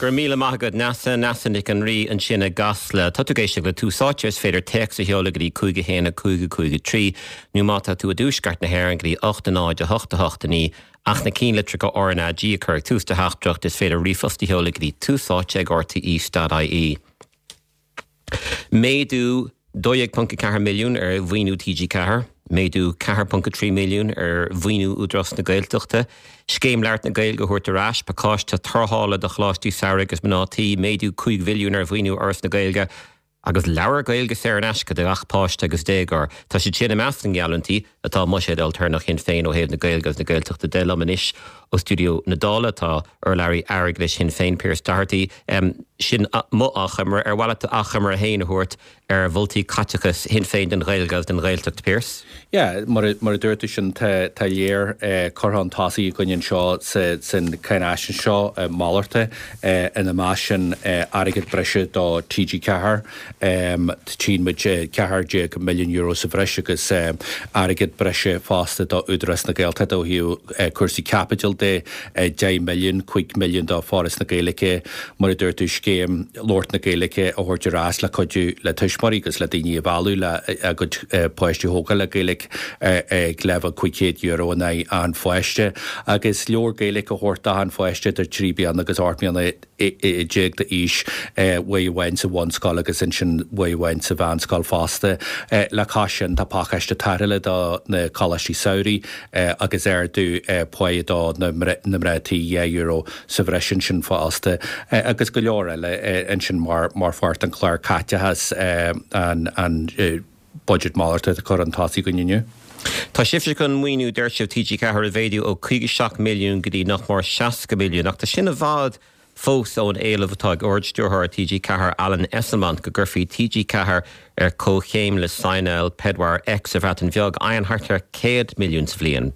Go raibh míle maith agat, Neasa, Neasa Nic an Rí ansin i gCasla. Tá tú ag éisteacht le Tús Áite, is féidir téacs a sheoladh go dtí 5 1 5 5 3 nó má tá tú i dtuaisceart na hÉireann go dtí 8 0 8 8 9 ach na cinnlitreacha RnaG a chur ag tús do theachtaireacht, is féidir ríomhphost a sheoladh go dtí túsáite ag rte.ie. Méadú 12.4 milliún ar mhaoiniú TG4, méadú 4.3 milliún ar mhaoiniú Údarás na Gaeltachta, Scéim Labhairt na Gaeilge a thabhairt ar ais, pacáiste tarrthála do choláistí samhraidh agus mná tí, méadú 5 mhilliún ar mhaoiniú Fhoras na Gaeilge agus leabhar Gaeilge saor in aisce do gach páiste agus déagóir. Tá siad sin i measc na ngeallúintí atá i mbuiséad ailtéarnach Shinn Féin ó thaobh na Gaeilge agus na Gaeltachta de. Liom anois ó stiúideo na Dála tá urlabhraí airgeadais Shinn Féin, Pearse Doherty. Sin mo achoimre. Ar mhaith leat d'achoimre féin a thabhairt ar mholtaí caiteachais Shinn Féin don Ghaeilge agus don Ghaeltacht, Pearse? Yeah, mar a dúirt tú sin, tá léar curtha chun tosaigh againn anseo san cháinaisnéis seo, malartach, ina measc sin airgead breise do TG4, Tchíonn muid €14 milliún sa bhreis agus airgead breise fosta do Údarás na Gaeltachta ó thaobh cúrsaí caipitil de, 10 milliún, 5 milliún do Foras na Gaeilge, mar a dúirt tú, scéim labhairt na Gaeilge a thabhairt ar ais le cuidiú le tuismitheoirí agus le daoine a mhealladh le a gcuid páistí a thógáil le Gaeilge ag leibhéal €500 in aghaidh an pháiste agus leabhar Gaeilge a thabhairt d'achan pháiste idir 3 bliana agus 18 mbliana d'aois, uair amháin sa bhunscoil agus ansin uair amháin sa mheánscoil fosta. Le cois sin tá pacáiste tarrthála do na coláistí samhraidh agus ardú páighe do na mná tí, €2 sa bhreis ansin fosta agus go leor eile ansin mar pháirt den chlár caiteachais an budget malartach atá curtha chun tosaigh againn inniu. Tá sibhse chun maoiniú, deir sibh, TG4 a mhéadú ó 57 milliún go dtí nach mór 60 milliún, ach tá sin i bhfad fós ón éileamh atá ag Ard-Stiúrthóir TG4, Alan Esslemont, go gcuirfí TG4 ar comhchéim le Signal Pedwar X sa Bhreatain Bheag, a fhaigheann thart ar 100 milliún sa bhliain.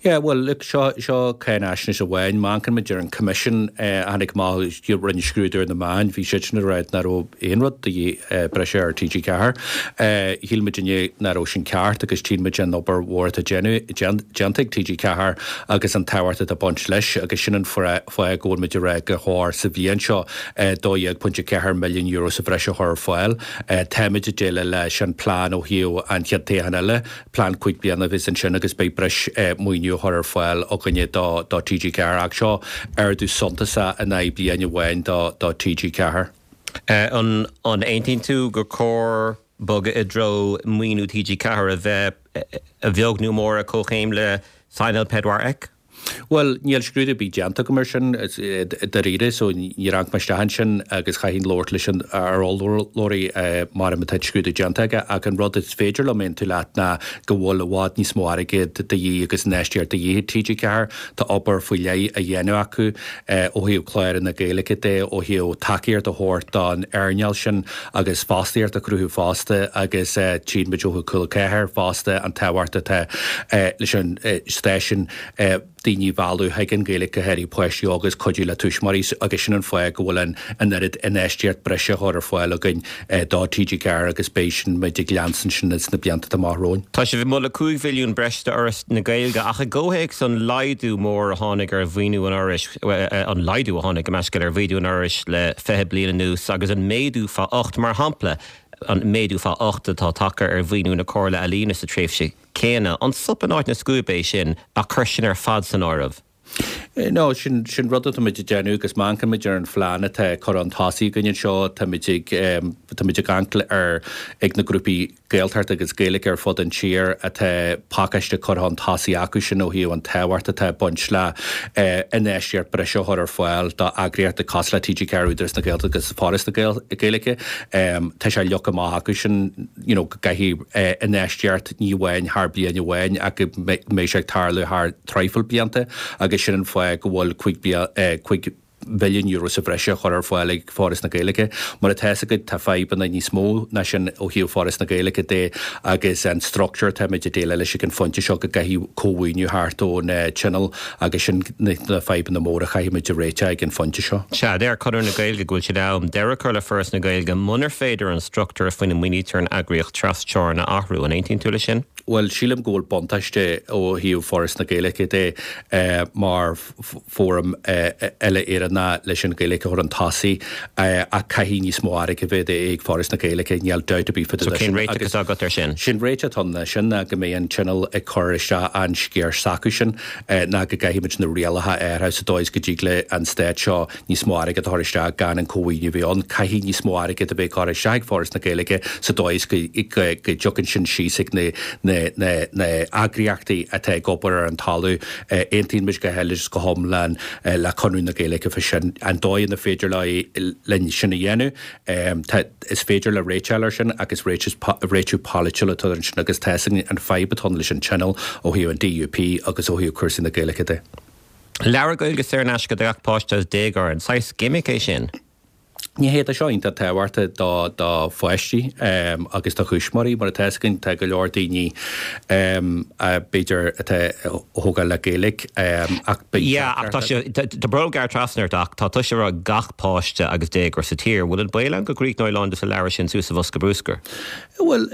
Yeah, bhuel, look, seo, seo cáinaisnéis amháin. Má amharcann muid ar an Coimisiún a tháinig amach, a rinne scrúdú ar na meáin, bhí siadsan ag rá nach raibh aon rud de dhíth breise ar TG4. Shíl muidinne nach raibh sin ceart agus tchíonn muid an obair mhór atá déanta ag TG4 agus an tábhacht atá ag baint leis agus sin an fáth go bhfuil muid ag rá gur chóir sa bhliain seo €12.4 milliún sa bhreis a chur ar fáil. Táimid ag déileáil leis an plean ó thaobh an chéad toghchán eile. Plean 5 bliana a bheas ansin agus beidh breis maoiniú á chur ar fáil againne do TG4 ach seo ardú suntasach in aghaidh bliain amháin do TG4. An aontaíonn tú gur cóir bogadh i dtreo maoiniú TG4 a bheith a bheag nó a mhór ar comhchéim le Signal Pedwar X? Bhuel, níl scrúdú ar bith déanta agam air sin, dáiríre, so níor amharc mé isteach ansin agus chaithfinn labhairt leis an ár urlabhraí mara tá an scrúdú déanta aige ach an rud is féidir liom aontú leat ná go bhfuil i bhfad níos mó airgid de dhíth agus infheistíocht de dhíth ag TG4. Tá obair faoi leith á dhéanamh acu ó thaobh cláranna Gaeilge de, ó thaobh tacaíocht a thabhairt don earnáil sin agus fostaíocht a chruthú fosta agus tchíonn muid ó thaobh Cúla 4 fosta an tábhacht atá leis an stáisiún daoine a mhealladh chuig an Ghaeilge, go háirithe páistí óga agus cuidiú le tuismitheoirí agus sin an fáth go bhfuil an oiread infheistíocht breise á chur ar fáil againn do TG4 agus beidh sin muid ag leanstan sin sna blianta atá amach romhainn. Tá sibh ag moladh 5 mhilliún breise d'Fhoras na Gaeilge ach i gcomhthéacs an laghdú mór a tháinig ar mhaoiniú an Fhorais, an laghdú a tháinig, gabh mo leithscéal, ar mhaoiniú an Fhorais le 20 bliain anuas agus an méadú fá 8, mar shampla, an méadú fá 8 atá tagtha ar mhaoiniú na Comhairle Ealaíona sa tréimhse céanna. An sop in áit na scuaibe é sin ach cur sin ar fad san áireamh? No, sin, sin rud atá muid ag déanamh agus má amharcann muid ar an phlean atá curtha chun tosaigh againn anseo, tá muid ag, tá muid ag amharc ar, ag na grúpaí Gaeltachta agus Gaeilge ar fud an tír atá pacáiste curtha chun tosaigh acu sin ó thaobh an tábhacht atá ag baint le infheistíocht breise a chur ar fáil do eagraíochtaí cosúil le TG4, Údarás na Gaeltachta agus Foras na Gaeilge. Tá sé leagtha amach acu sin you know go gcaithfidh infheistíocht ní amháin thar bliain amháin ach go mbeidh sé ag tarlú thar traidhfil blianta agus sin an fáth go bhfuil €5 mhilliún sa bhreis á chur ar fáil ag Foras na Gaeilge. Mar atá fhios agat, tá fadhbanna níos mó ná sin ó thaobh Foras na Gaeilge de agus an struchtúr atáimid ag déileáil leis ag an phointe seo go gcaithfidh cómhaoiniú theacht ón Tionól agus sin na fadhbanna móra a chaithfimid a réiteach ag an phointe seo. Sea, deir Conradh na Gaeilge go bhfuil sé in am deireadh a chur le Foras na Gaeilge munar féidir an struchtúr faoina maoinítear an eagraíocht tras-teorann a athrú. An aontaíonn tú leis sin? Bhuel, sílim go bhfuil buntáiste ó thaobh Foras na Gaeilge de mar fóram uile-Éireannach. ná leis an Ghaeilge a chur chun tosaigh ach caithfidh níos mó airgid a bheith ag Foras na Gaeilge, níl dabht ar bith fá dtaobh de sin. So cén réiteach atá agat ar sin? Sé'n réiteach atá ann ná sin ná go mbeidh an Tionól ag cur isteach an sciar s'acu sin ná go gcaithfidh muid na rialacha a athrú sa dóigh is go dtig le an stát seo níos mó airgid a chur isteach gan an cómhaoiniú a bheith ann. Caithfidh níos mó airgid a bheith curtha isteach ag Foras na Gaeilge sa dóigh is go dtiocfaidh sin síos ag na heagraíochtaí atá ag obair ar an talamh. Aontaíonn muid go huile is go hiomlán le Conradh na Gaeilge fá sin. An dóigh ina féidir linn sin a dhéanamh, tá, is féidir le réiteáil ar sin agus réiteach polaitiúil atá ansin agus tá 'fhios againn an fadhb atá ann leis an Tionól ó thaobh an DUP agus ó thaobh cúrsaí na Gaeilge de. Leabhar Gaeilge saor in aisce do gach páiste agus déagóir, an saghas gimic é sin? Ní hé, tá seo iontach tábhachtach do do pháistí agus do thuismitheoirí. Mar atá 'fhios againn, tá go leor daoine b'fhéidir atá á thógáil le Gaeilge ach beidh Yeah, ach tá sé, tá brón gearr trasna ort ach tá tusa ag rá gach páiste agus déagóir sa tír. Bhfuil an baol ann go gcríochnóidh a lán de na leabhair sin suas sa bhosca bruscair? Bhuel,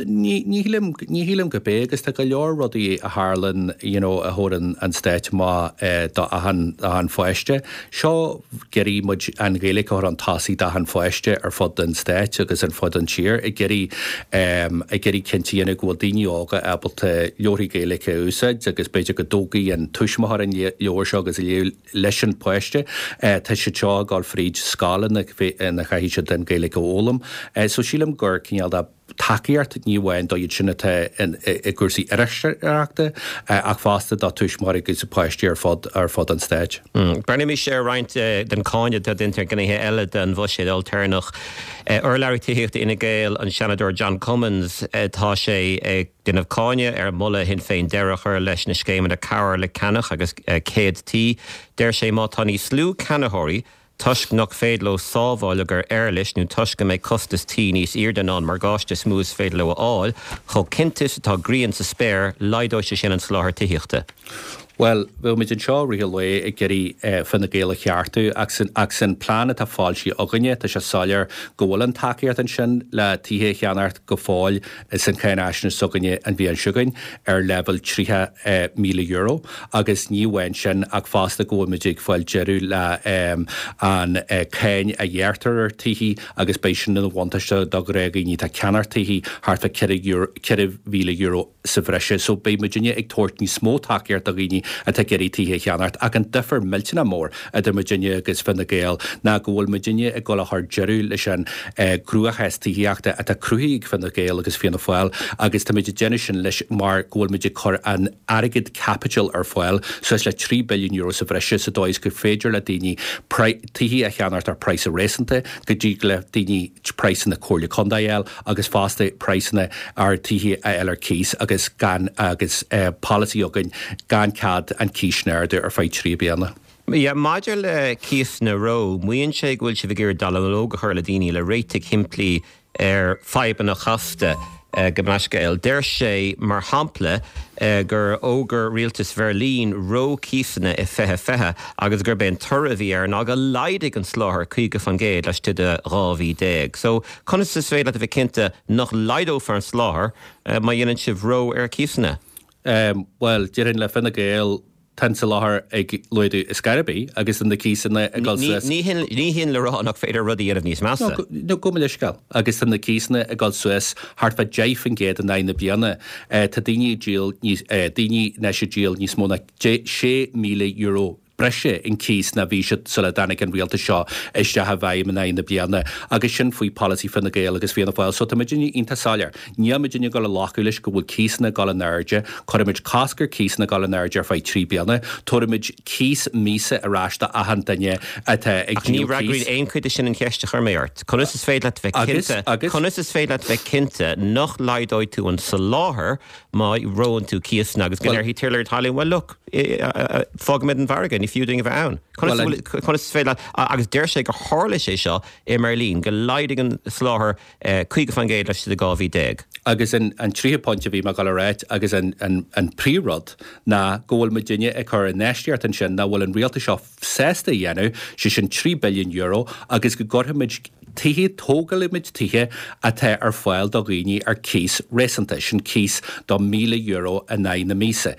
ní shílim, ní shílim gurb é agus tá go leor rudaí a tharlann you know a thabharann an Stát amach do achan, achan pháiste. Seo ag iarraidh muid an Ghaeilge a chur chun tosaigh d'achan pháiste ar fud an Stáit agus ar fud an tír, ag iarraidh, ag iarraidh cinnte a dhéanamh go bhfuil daoine óga ábalta leabharthaí Gaeilge a úsáid agus b'fhéidir go dtógfaidh an tuismitheoir an leabhar seo agus a léamh leis an páiste. Tá siad seo ag dul fríd scoil ina chaithfidh siad an Ghaeilge a fhoghlaim. So sílim gur cineál de tacaíocht ní amháin do iad sin atá i gcúrsaí iriseoireachta ach fosta do tuismitheoirí agus páistí ar fud ar fud an stáit. Breathnaímis ar roinnt den cáineadh atá déanta ar ghnéithe eile den bhuiséad olltéarnach. Urlabhraí tithíochta Fhine Gael, an Seanadóir John Cummins, tá sé ag déanamh cáineadh ar mholadh Shinn Féin deireadh a chur leis na scéimeanna cabhair le ceannach agus céad tí. Deir sé má tá níos lú ceannaitheoirí toisc nach féidir leo sábháil ar éarlais nó toisc go mbeidh costas tí níos airde ná an morgáiste is mó is féidir leo a fháil, chomh cinnte is atá grian sa spéir, laghdóidh sé sin an soláthar tithíochta. Bhuel, bheadh muid anseo i rith an lae ag iarraidh Fine Gael a cheartú ach san ach san plean atá foilsithe againne tá sé soiléir go bhfuil an tacaíocht ansin le tithe a cheannacht go fóill san cháinaisnéis s'againne an bhliain seo chugainn ar leibhéal €30,000 agus ní amháin sin ach fosta go bhfuil muid ag fáil deireadh le an cáin a ghearrtar ar tithe agus beidh sin ina bhuntáiste do ghnáthdhaoine atá ag ceannacht tithe thart fá €4,000 sa bhreise so beidh muidinne ag tabhairt níos mó tacaíocht do dhaoine atá ag iarraidh tithe a cheannacht ach an difear millteanach mór idir muidinne agus Fine Gael ná go bhfuil muidinne ag dul a chur deireadh leis an gcruachás tithíochta atá cruthaithe ag Fine Gael agus Fianna Fáil agus táimid ag déanamh sin leis mar go bhfuil muid ag cur an airgead caipitil ar fáil suas le €3 billiún sa bhreise sa dóigh is gur féidir le daoine tithe a cheannacht ar praghas réasúnta go dtig le daoine praghsanna Comhairle Contae a fháil agus fosta praghsanna ar tithe a fháil ar cíos agus gan agus polasaí againn gan cead an cíos sin a ardú ar feadh 3 bliana. Yeah, maidir le cíosanna reo, maíonn sé go bhfuil sibh ag iarraidh dallamullóg a chur le daoine le réitigh shimplí ar fadhbanna chasta gabh mo leithscéal. Deir sé, mar shampla, gur fhógair rialtas Bheirlín reo cíosanna i 2020 agus gurb é an toradh a bhí air ná gur laghdaigh an soláthar 50% laistigh de 12 mhí. So, conas is féidir leat a bheith cinnte nach laghdófar an soláthar má dhéanann sibh reo ar chíosanna? Bhuel, déarfainn le Fine Gael, tá an soláthar ag laghdú ar scor ar bith agus tá na cíosanna ag dul suas. Ní hin le rá nach féidir rudaí a dhéanamh níos measa. No, gabh mo leithscéal. Agus tá na cíosanna ag dul suas thart fá 10% in aghaidh na bliana. Tá daoine ag díol níos, daoine anois ag díol níos mó ná €6,000 breise in cíos ná bhí siad sula dtáinig an rialtas seo isteach i bhfeidhm in aghaidh na bliana agus sin faoi polasaí Fine Gael agus Fianna Fáil. So tá muidinne iontach soiléir. Níl muidinne ag dul a ghlacadh leis go bhfuil cíosanna ag dul in airde. Cuirfimid cosc ar cíosanna ag dul in airde ar feadh 3 bliana. Tabharfaimid cíos míosa ar ais do achan duine atá ag Ach ní díol cíos. fhreagraíonn aon chuid de sin an cheist a chuir mé ort. Conas is féidir leat a bheith Agus, cinnte, agus. conas is féidir leat a bheith cinnte nach laghdóidh tú an soláthar má reonn tú cíosanna agus go Bhuel, ndéarfaidh tiarnaí talún, well look, fágfaimid an margadh, ní fiú dúinn a bheith ann. Conas a bhuel, bhfuil, conas is féidir leat, agus deir sé gur tharla sé seo i mBeirlín, go laghdaigh an soláthar 50% laistigh de 12 mhí. Agus an tríú pointe a bhí mé ag dul a ráit agus an príomhrud ná go bhfuil muidinne ag cur infheistíocht ansin nach bhfuil an rialtas seo sásta a dhéanamh, sé sin €3 billiún agus go gcuirfimid. Tithe, tógálfaimid tithe atá ar fáil do dhaoine ar cíos réasúnta, sin cíos do €1,000 in aghaidh na míosa.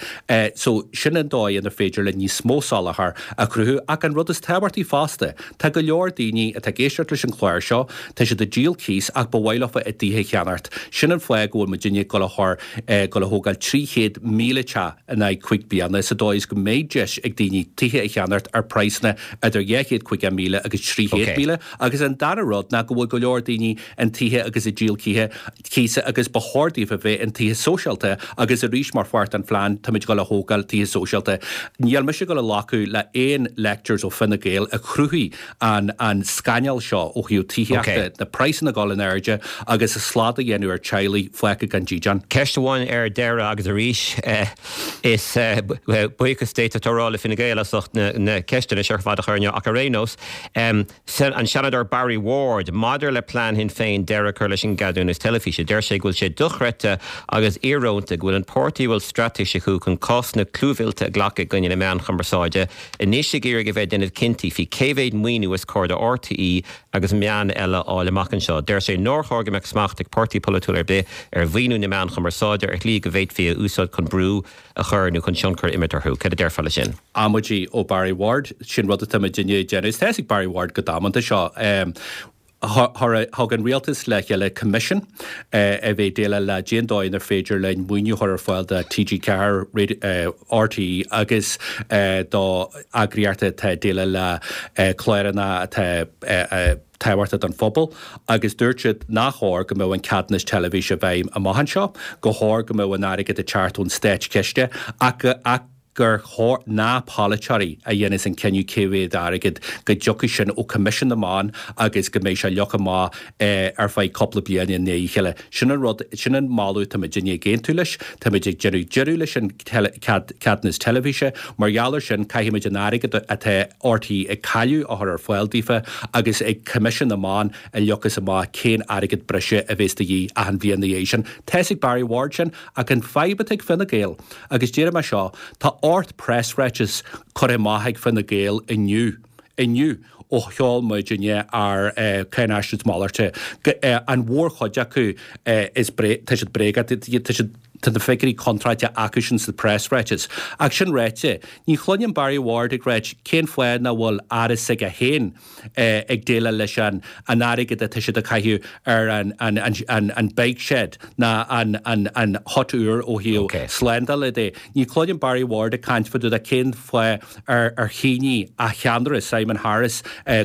So, sin an dóigh inar féidir linn níos mó soláthar a chruthú. Ach an rud is tábhachtaí fosta, tá go leor daoine atá ag éisteacht leis an chlár seo, tá siad ag díol cíos ach ba mhaith leofa a dtithe a cheannacht. Sin an fáth go bhfuil muidinne ag dul a chur, dul a thógáil 300,000 teach in aghaidh 5 bliana sa dóigh is go mbeidh deis ag daoine tithe a cheannacht ar praghsanna idir 250,000 agus 300,000. Agus an dara rud ná go bhfuil go leor daoine in tithe agus ag díol cíthe, cíosa agus ba chóir daofa bheith in tithe sóisialta agus arís mar pháirt den phlean táimid ag dul a thógáil tithe sóisialta. Níl mise ag dul a ghlacadh le aon lectures ó Fine Gael a chruthaigh an an scannal seo ó thaobh tithíochta, na praghsanna ag dul in airde agus slad a dhéanamh ar teaghlaigh fágtha gan dídean. Ceist amháin ar deireadh agus arís is buíochas d'fhéadfá a rá le Fine Gael as ucht na ceisteanna seo ar fad a chur inniu ach ar aon nós, An Seanadóir Barry Ward maidir le plean Shinn Féin deireadh a chur leis an gceadúnas teilifíse. Deir sé go bhfuil sé dochreidte agus íorónta go bhfuil an páirtí a bhfuil straitéis acu chun cásanna clúmhillte a ghlacadh i gcoinne na meán chumarsáide anois ag iarraidh a bheith ag déanamh cinntí faoi cé mhéad maoiniú is cóir do RTÉ agus meáin eile a fháil amach anseo. Deir sé nár chóir go mbeadh smacht ag páirtí polaitiúil ar bith ar mhaoiniú na meán chumarsáide ar shlí go bhféadfaí a úsáid chun brú a chur nó chun tionchar a imirt orthu. Cad a déarfá leis sin? Amaidí ó Barry Ward, sin rud atá muidinne ag déanamh. Is tá a fhios ag Barry Ward go damanta seo. Thug an rialtas le chéile coimisiún a bheidh ag déileáil le cén dóigh inar féidir linn maoiniú a chur ar fáil do TG4, RTÉ agus do eagraíochtaí atá ag déileáil le cláranna atá tábhachtach don phobal agus dúirt siad nach chóir go mbeadh an ceadúnas teilifíse i bhfeidhm amach anseo, gur chóir go mbeadh an airgead ag teacht ón státchiste ach ach gur chóir nach polaiteoirí a dhéanfas an cinneadh cé mhéad airgead, go dtiocfaidh sin ó Coimisiún na Meán agus go mbeidh sé leagtha amach ar feadh cúpla bliain i ndiaidh a chéile. Sin an rud, sin an moladh atá muidinne ag aontú leis. Táimid ag déanamh deireadh leis an ceadúnas teilifíse. Mar gheall air sin, caithfimid an airgead atá RTÉ ag cailleadh a chur ar fáil daofa agus ag Coimisiún na Meán a leagfas amach cén airgead breise a bheas de dhíth achan bhliain ina dhiaidh sin. Tá fhios ag Barry Ward sin ach an fadhb atá ag Fine Gael, agus déarfaidh mé seo, tá 8 preasráiteas curtha amach ag Fine Gael inniu, inniu, ó sheol muidinne ár cáinaisnéis malairte. An mhórchuid acu is tá siad bréagach, tá siad tá na figiúirí contráilte acusan sa preasráiteas. Ach sin ráite, ní chluinim Barry Ward ag ráit cén fáth nach bhfuil aire s'aige féin ag déileáil leis an an airgead atá siad ag caitheamh ar an an an an bike shed ná an an an hut úr ó thaobh slándála de. Ní chluinim Barry Ward ag caint fá dtaobh de cén fáth ar ar shínigh a cheannaire, Simon Harris,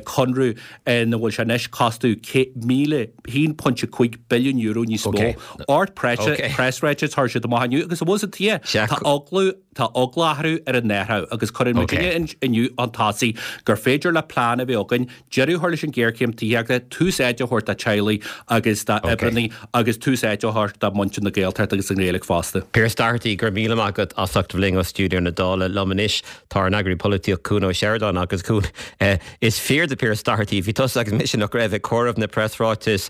conradh ina bhfuil sé anois costú €1.5 billiún níos mó. 8 preasráiteas a chuir siad amach inniu agus abhus an tuighe, tá eagla tá eagla orthu ar an athrú agus cuireann muidinne inniu chun tosaigh gur féidir le plean a bheith againn deireadh a chur leis an ghéarchéim tithíochta, tús áite a thabhairt do teaghlaigh agus d'oibreannaí agus tús áite a thabhairt do mhuintir na Gaeltachta agus an Ghaeilge fosta. Pearse Doherty, go raibh míle maith agat as ucht a bheith linn ó stiúideo na Dála. Liom anois tá ár n-eagraí polaitíochta Cuan Ó Seireadáin agus Cuan, is fíor do Pearse Doherty, bhí tusa agus mise nach raibh ag comhaireamh na preasráitis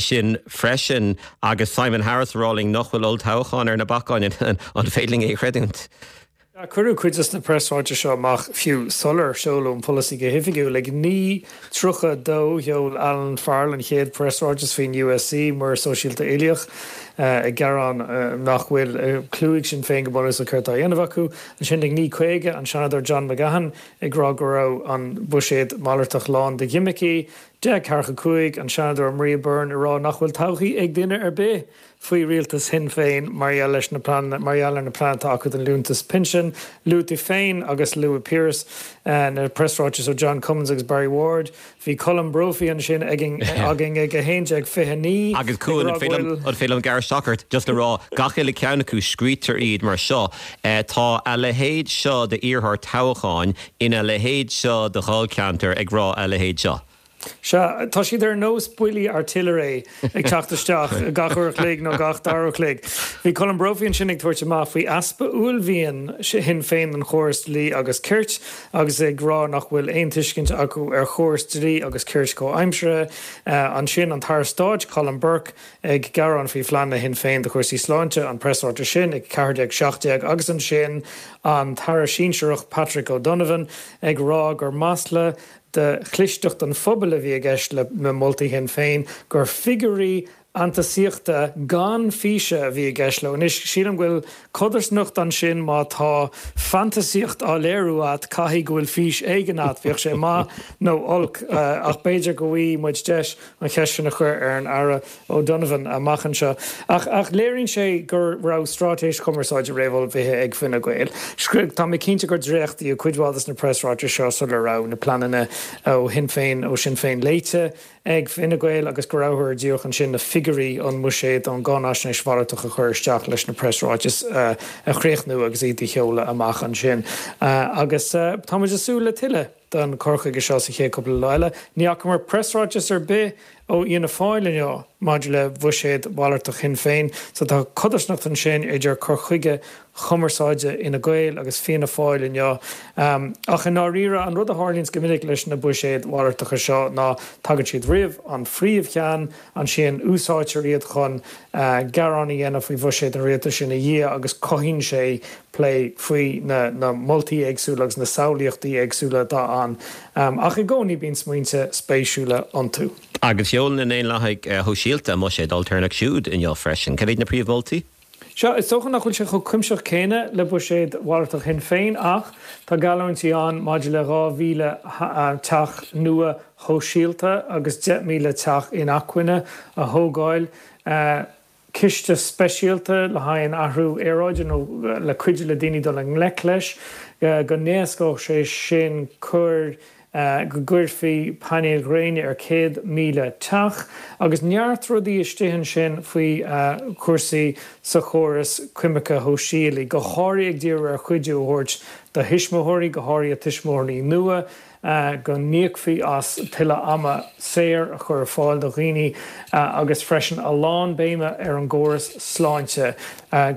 sin freisin agus Simon Harris ag rá linn nach bhfuil olltoghchán ar na bacáin, an féidir linn é a chreidiúint? Cuireadh cuid de na preasráitis seo amach fiú sular seoladh an polasaí go hoifigiúil. Ag 9:32 sheol Alan Farrell an chéad preasráiteas faoin USC, Muirear Sóisialta Uilíoch, ag gearán nach bhfuil cliú ag Sinn Féin go bunúsach céard atá á dhéanamh acu. Ansin ag 9:50 an Seanadóir John McGahon ag rá go raibh an buiséad malartach lán de ghimicí. 10:45 an Seanadóir Maria Byrne ag rá nach bhfuil todhchaí ag duine ar bith faoi rialtas Shinn Féin mar gheall leis na pleananna, mar gheall ar na pleananna atá acu don liúntas pinsin. Luaigh tú féin agus luaigh Pearse na preasráitis ó John Cummins agus Barry Ward. Bhí Colm Brophy ansin againn ag 11:29 Agus Cuan, an féidir liom gearradh isteach ort, just le rá, gach uile ceann acu, scrítear iad mar seo, tá a leithéid seo d'iarrthóir toghcháin ina leithéid seo de dháilcheantar ag rá a leithéid seo. Sea, tá siad ar nós buillí artillery ag teacht isteach gach uair a chloig nó gach dara uair a chloig. Bhí Colm Brophy ansin ag tabhairt amach faoi easpa uaillmhian Shinn Féin don chóras dlí agus cirt agus ag rá nach bhfuil aon tuiscint acu ar chóras dlí agus cirt comhaimseartha. Ansin an tAire Stáit Colm Burke ag gearán faoi phleananna Shinn Féin do chúrsaí sláinte, an preasráiteas sin ag 14:17 agus ansin an tAire Sinsearach Patrick O'Donovan ag rá gur masla. de chlisteacht an phobail a bhí i gceist le moltaí Shinn Féin, gur figiúirí fhantasaíochta gan físe a bhí i gceist leo. Anois, sílim go bhfuil codarsnacht ansin, má tá fantasaíocht á léiriú a't, caithfidh go bhfuil fís éigin a't, bíodh sé maith nó olc. Ach b'fhéidir go bhfaighidh muid deis an cheist sin a chur ar an Aire O'Donovan amach anseo. Ach ach léiríonn sé go raibh straitéis chumarsáide réamhullmhaithe ag Fine Gael. Tá mé cinnte gur dréachtaíodh cuid mhaith de na preasráitis seo sula raibh na pleananna ó Shinn Féin, ó Sinn Féin léite. ag Fine Gael agus go rabhthar díreach ansin na figiúirí ón mbuiséad ón gcáinaisnéis mhalartach a chur isteach leis na preasráitis a chríochnú agus iad a sheoladh amach ansin. Agus tá muid ag súil le tuilleadh den chur chuige seo sa chéad cúpla lá eile. Ní fhacamar preasráiteas ar bith ó Fhianna Fáil inniu maidir le buiséad mhalartach Shinn Féin so tá codarsnacht ansin idir cur chuige chumarsáide Fhine Gael agus Fianna Fáil inniu. Ach i ndáiríre, an rud a tharlaíonns go minic leis na buiséid mhalartacha seo ná tagann siad roimh an phríomhcheann, ansin úsáidtear iad chun gearán a dhéanamh faoi bhuiséad an rialtais ina dhiaidh agus cothaíonn sé plé faoi na moltaí éagsúla agus na samhlaíochtaí éagsúla atá ann. Ach i gcónaí bíonn smaointe spéisiúla iontu. Agus sheol na Daonlathaigh Shóisialta a mbuiséad ailtéarnach siúd inniu freisin. Cad iad na príomh-mholtaí? Sea, is dócha nach bhfuil sé chomh cuimsitheach céanna le buiséad mhalartach Shinn Féin ach tá geallúintí ann maidir le 2,000 teach nua shóisialta agus 10,000 teach inacmhainne a thógáil, ciste speisialta le haghaidh an athrú aeráide nó le cuidiú le daoine dul i ngleic leis, go n-éascódh sé sin cur go gcuirfí painéil ghréine ar 100,000 teach, agus neart rudaí istigh ansin faoi chúrsaí sa chóras coimirce shóisialaí, go háirithe ag díriú ar chuidiú a thabhairt do thuismitheoirí, go háirithe tuismitheoirí nua, go n-íocfaí as tuilleadh ama saor a chur ar fáil do dhaoine agus freisin a lán béime ar an gcóras sláinte,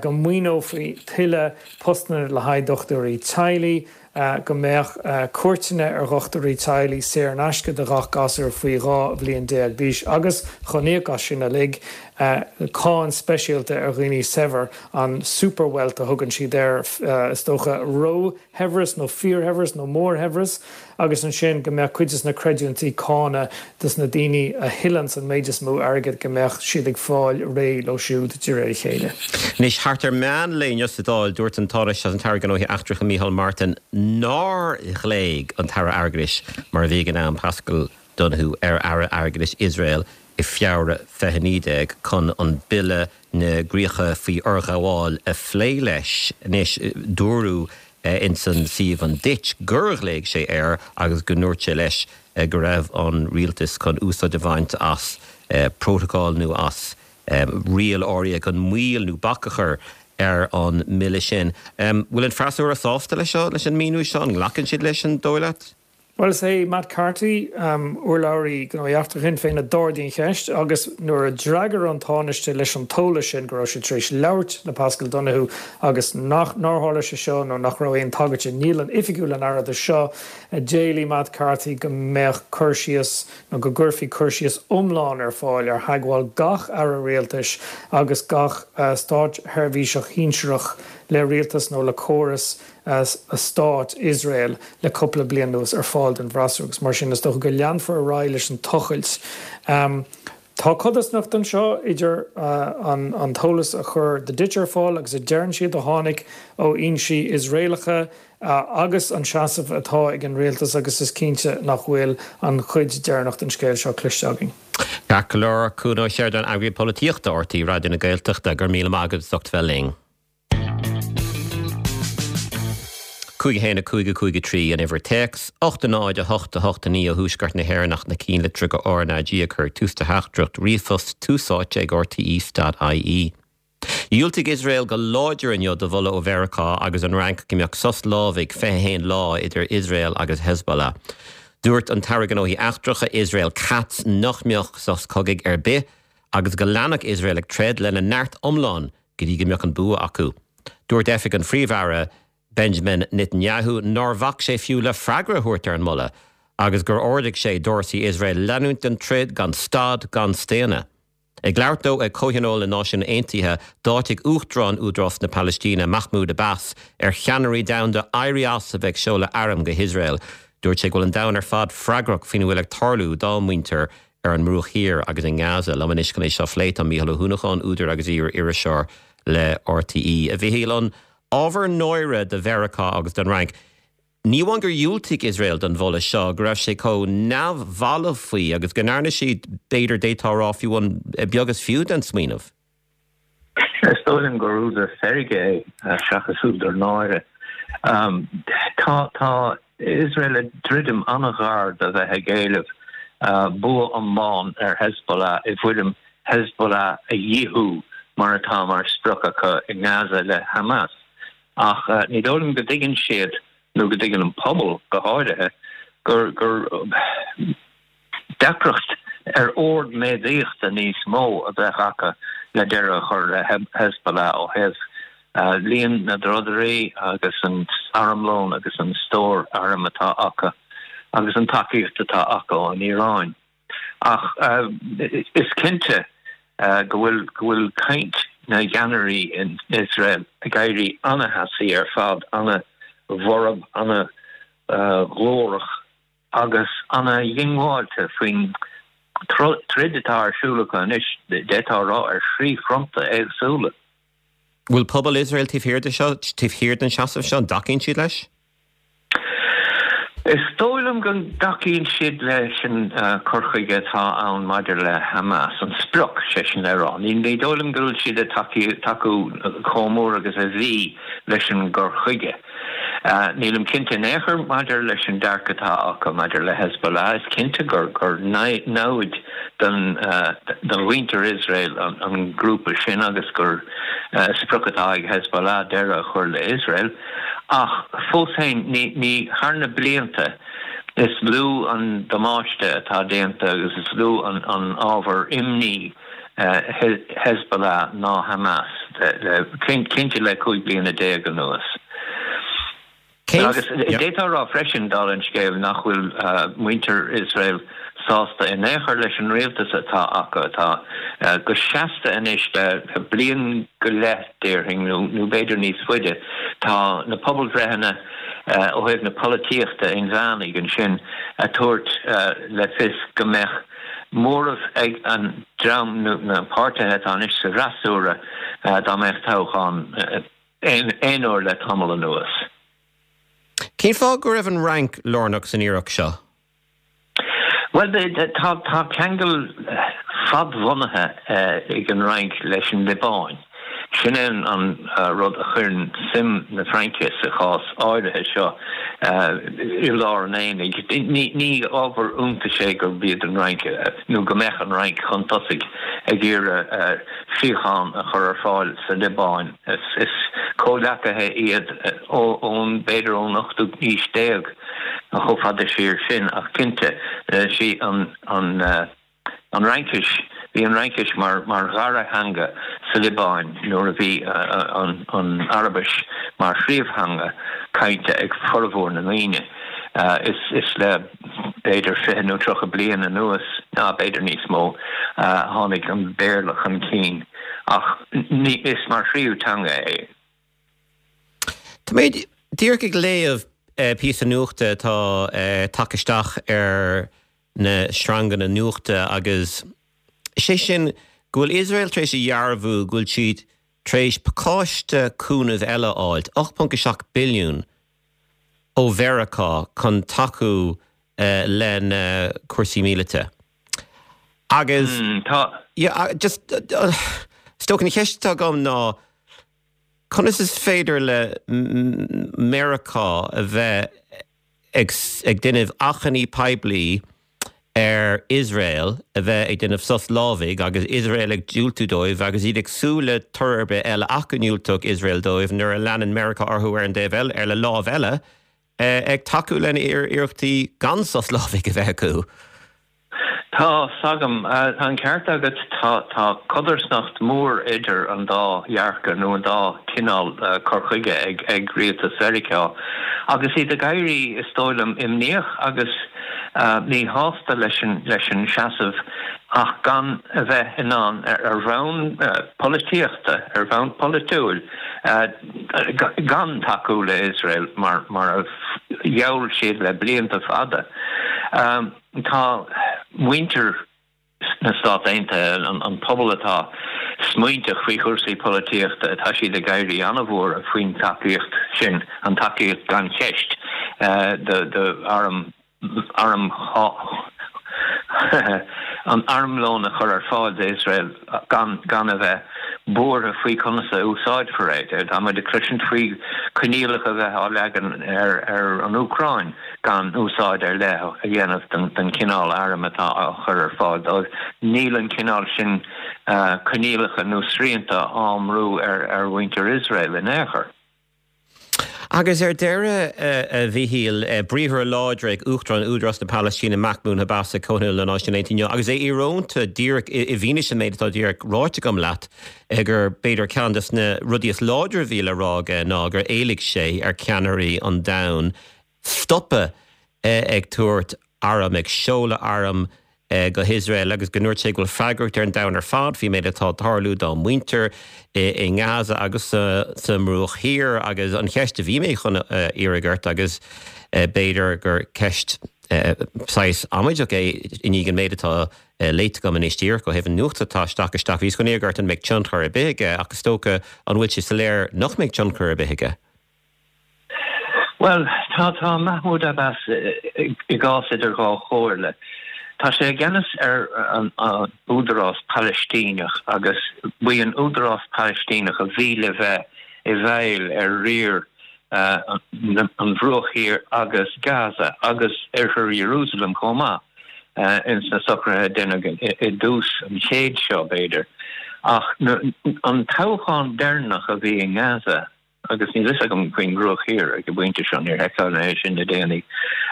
go maoineofaí tuilleadh postanna le haghaidh dochtúirí teaghlaigh. go mbeadh cuairteanna ar dhochtúirí teaghlaigh saor in aisce do ghach gasúr faoi 12 bhliain d'aois agus, chun íoc as sin uilig, cáin speisialta ar dhaoine saibhir, an super-wealth a thugann siad air, is dócha, róshaibhreas nó fíorshaibhreas nó mórshaibhreas, agus ansin go mbeadh cuid de na creidiúintí cánach dos na daoine a thuilleanns an méid is mó airgid, go mbeadh siad ag fáil réidh leo siúd de réir a chéile. Anois, thart ar meán lae inniu sa Dáil, dúirt an Tánaiste agus an tAire Gnóthaí Eachtracha Micheál Martin nár ghlaoigh an tAire Airgeadais, mar a bhí ag an am, Paschal Donohoe, ar Aire Airgeadais Iosrael i Feabhra 2019 chun an Bille na gCríocha faoi Fhorghabháil a phlé leis. Anois, dúradh ins an suíomh an Ditch gur ghlaoigh sé air agus go ndúirt sé leis go raibh an rialtas chun úsáid a bhaint as protocol nó as riail áirithe chun moill nó bac a chur ar an mbille sin. Bhfuil an freasúra sásta leis seo, leis an míniú seo? An nglacann siad leis, an dóigh leat? Bhuel, is é Matt Carthy, urlabhraí Gnóthaí Eachtracha Shinn Féin, a d'ardaigh an cheist agus nuair a d'fhreagair an Tánaiste leis an t-eolas sin go raibh sé tar éis labhairt le Paschal Donohoe agus nach nár tharla sé seo nó nach raibh aon tagairt i ndialann oifigiúil an Aire do seo, d'éiligh Matt Carthy go mbeadh cur síos nó go gcuirfí cur síos iomlán ar fáil ar theagmháil gach aire rialtais agus gach státseirbhíseach shinsearach le rialtas nó le córas stát Iosrael le cúpla bliain anuas ar fáil don bhfreasúra agus mar sin is dócha go leanfar ar aghaidh leis an tochailt. Tá codarsnacht anseo idir an t-eolas a chuir The Ditch ar fáil agus a deireann siad a tháinig ó fhoinsí Iosraelacha agus an seasamh atá ag an rialtas agus is cinnte nach bhfuil an chuid deireanach den scéal seo cloiste againn. Ceart go leor, Cuan Ó Seireadáin, Eagraí Polaitíochta, RTÉ Raidió na Gaeltachta, go raibh míle maith agat as ucht bheith linn. 5 1 5 5 3 an uimhir téacs, 8 0 8 8 9 ó thuaisceart na hÉireann ach na cinnlitreacha RnaG a chur ag tús do theachtaireacht ríomhphost tús áite ag rte.ie. Dhiúltaigh Iosrael go láidir inniu do mholadh ó Mheiriceá agus an Fhrainc go mbeadh sos lámhaigh 21 lá idir Iosrael agus Hezbollah. Dúirt an tAire Gnóthaí Eachtracha Israel Katz nach mbeadh sos cogaidh ar bith agus go leanfadh Iosrael ag troid lena neart iomlán go dtí go mbeadh an bua acu. Dúirt oifig an Phríomh-Aire Benjamin Netanyahu nár bhac sé fiú le freagra a thabhairt ar an moladh agus gur ordaigh sé d'fhórsaí Iosrael leanúint den troid gan stad gan staonadh. Ag labhairt dó ag Comhthionól na Náisiún Aontaithe, d'áitigh Uachtarán Údarás na Palaistíne, Mahmoud Abbas, ar cheannairí domhanda éirí as a bheith ag seoladh airm go hIosrael. Dúirt sé go bhfuil an domhan ar fad freagrach faoina bhfuil ag tarlú dá muintir ar an mBruach Thiar agus i nGaza. Liom anois chun é seo a phlé tá Mícheál Ó hUanacháin, údar agus iar-iriseoir le RTÉ. A Mhichíl, an ábhar náire do Mheiriceá agus don Fhrainc, ní amháin gur dhiúltaigh Iosrael don mholadh seo, go raibh sé chomh neamhbhalbh faoi agus go ndearna siad, b'fhéidir, d'fhéadfá a rá, fiú an beag is fiú den smaoineamh. Is dóigh liom gur údar feirge é seachas údar náire. Tá tá Iosrael ag druidim an-ghar do bheith ag éileamh bua iomlán ar Hezbollah i bhfoirm Hezbollah a dhíothú mar atá mar sprioc acu i nGaza le Hamas. Ach ní dóigh liom go dtuigeann siad, nó go dtuigeann an pobal go háirithe, gur gur deacracht ar ord méadaíochta níos mó a bheadh acu le deireadh a chur le Hezbollah ó thaobh líon na dtrodairí agus an armlón agus an stór arm atá acu agus an tacaíocht atá acu ón Iaráin. Ach is cinnte go bhfuil go bhfuil caint na gceannairí in Iosrael ag éirí ana-theasaí ar fad, ana-bhorb, ana-ghlórach. agus ana-dhiongbháilte faoin troid atá ar siúl acu anois, d'fhéadfá a rá, ar thrí fronta éagsúla. Bhfuil pobal Iosrael taobh thiar de seo, taobh thiar den seasamh seo? An dtacaíonn siad leis? Is dóigh liom go dtacaíonn siad leis an cur chuige atá ann maidir le Hamas, an sprioc, sé sin le rá. Ní dóigh liom go bhfuil siad ag tacú chomh mór agus a bhí leis an gcur chuige. Nílim cinnte in aon chor maidir leis an dearcadh atá acu maidir le Hezbollah. Is cinnte gur gur namhaid don do mhuintir Iosrael an grúpa sin agus gur sprioc atá ag Hezbollah deireadh a chur le Iosrael. Ach fós féin, ní ní thar na blianta is lú an damáiste atá déanta agus is lú an an ábhar imní Hezbollah ná Hamas, cinnte le 15 bliana anuas. Agus d'fhéadfá a rá freisin, dála an scéil, nach bhfuil muintir Iosrael sásta in aon chor leis an rialtas atá acu, atá go seasta anois le bliain go leith, déarfainn, nó b'fhéidir níos faide. Tá na pobalbhreitheanna ó thaobh na polaitíochta inmheánaigh ansin ag tabhairt le fios go mbeadh móramh ag an dream nó na páirtithe atá anois sa bhfreasúra dá mbeadh toghchán aon uair le tamall anuas. Cén fáth go raibh an Fhrainc lárnach san iarracht seo? Bhuel, tá ceangal fadbhunaithe ag an Fhrainc leis an Liobáin. Sin é an rud a chuireann suim na Fraince sa chás áirithe seo i lár an aonaigh. Ní ábhar iontais é gurb iad an Fhrainc, nó go mbeadh an Fhrainc chun tosaigh ag iarraidh síocháin a chur ar fáil sa Liobáin. Is comhghleacaithe iad ón, b'fhéidir ón ochtú haois déag, chomh fada siar sin, ach cinnte, sí an. An Fhraincis, Bhí an Fhraincis mar dhara theanga sa Liobáin nuair a bhí an Araibis mar phríomhtheanga cainte ag formhór na ndaoine. Is le b'fhéidir 20 nó 30 bliain anuas, ná b'fhéidir níos mó, a tháinig an Béarla chun cinn ach is mar thríú teanga é. Tá mé díreach ag léamh píosa nuachta atá tagtha isteach ar na sreanganna nuachta agus sé sin go bhfuil Iosrael tar éis a dhearbhú go bhfuil siad tar éis pacáiste cúnaimh eile a fháilt, 8.7 billiún ó Mheiriceá chun tacú lena cúrsaí míleata. Agus yeah just is dócha an cheist atá agam ná conas is féidir le Meiriceá a bheith ag déanamh achainí poiblí ar Iosrael a bheith ag déanamh sos lámhaigh agus Iosrael ag diúltú dóibh agus iad ag súil le toradh ar bith eile ach go ndiúltódh Iosrael dóibh nuair a leanann Meiriceá orthu ar an dtaobh eile, ar le lámh eile, ag tacú lena iarrachtaí gan sos lámhaigh a bheith acu. Tá 's agam. Tá an ceart agat, tá codarsnacht mhór idir an dá dhearcadh nó an dá chineál cur chuige ag rialtas Mheiriceá agus iad ag éirí, is dóigh liom, imníoch agus míshásta leis an seasamh. Ach gan a bheith in ann, ar bhonn polaitíochta, ar bhonn polaitiúil, gan tacú le Iosrael mar a gheall siad le blianta fada. Tá muintir na Stát Aontaithe, an pobal atá smaointeach faoi chúrsaí polaitíochta, tá siad ag éirí an-bhuartha faoin tacaíocht sin, an tacaíocht gan cheist do arm arm an armlón a chur ar fáil d'Iosrael gan gan a bheith buartha faoi conas a úsáidfear é. Tá muid ag cloisint faoi coinníollacha a bheith á leagan ar ar an Úcráin gan úsáid ar leith a dhéanamh den den chineál airm atá á chur ar fáil dóibh. Níl an cineál sin coinníollacha nó srianta á mbrú ar ar mhuintir Iosrael in aon chor. Agus ar deireadh, a Mhíchíl, briathra láidre ag Uachtarán Údarás na Palaistíne Mahmoud Abbas ag Comhthionól na Náisiún Aontaithe inniu agus é íorónta díreach i bhfianaise an méid atá díreach ráite agam leat gur b'fhéidir ceann de na rudaí is láidre a bhí le rá aige ná gur éiligh sé ar cheannairí an domhain stopadh ag tabhairt arm, ag seoladh arm go hIosrael agus go ndúirt sé go bhfuil freagracht ar an domhan ar fad faoin méid atá ag tarlú dá muintir i nGaza agus sa mBruach Thiar agus an cheist a bhí mé chun a iarraidh ort agus b'fhéidir gur ceist saghas amaideach é i ndiaidh an méid atá léite agam anois díreach ó thaobh an nuacht atá isteach isteach bhíos chun iarraidh ort an mbeidh tionchar ar bith aige ach is dócha an bhfuil sé soiléir nach mbeidh tionchar ar bith aige? Bhuel, tá, tá Mahmoud Abbas i gcás idir dhá chomhairle. Tá sé i gceannas ar an Údarás Palaistíneach agus b'í an Údarás Palaistíneach a bhí le bheith i bhfeighil ar riar an Bhruach Thiar agus Gaza agus Oirthear Iarúsailéim chomh maith ins na socruithe a deineadh i dtús an chéid seo, b'fhéidir. Ach an toghchán deireanach a bhí i nGaza, agus níl fhios agam faoin mBruach Thiar ag an bpointe seo, níor sheiceáil mé é sin le déanaí.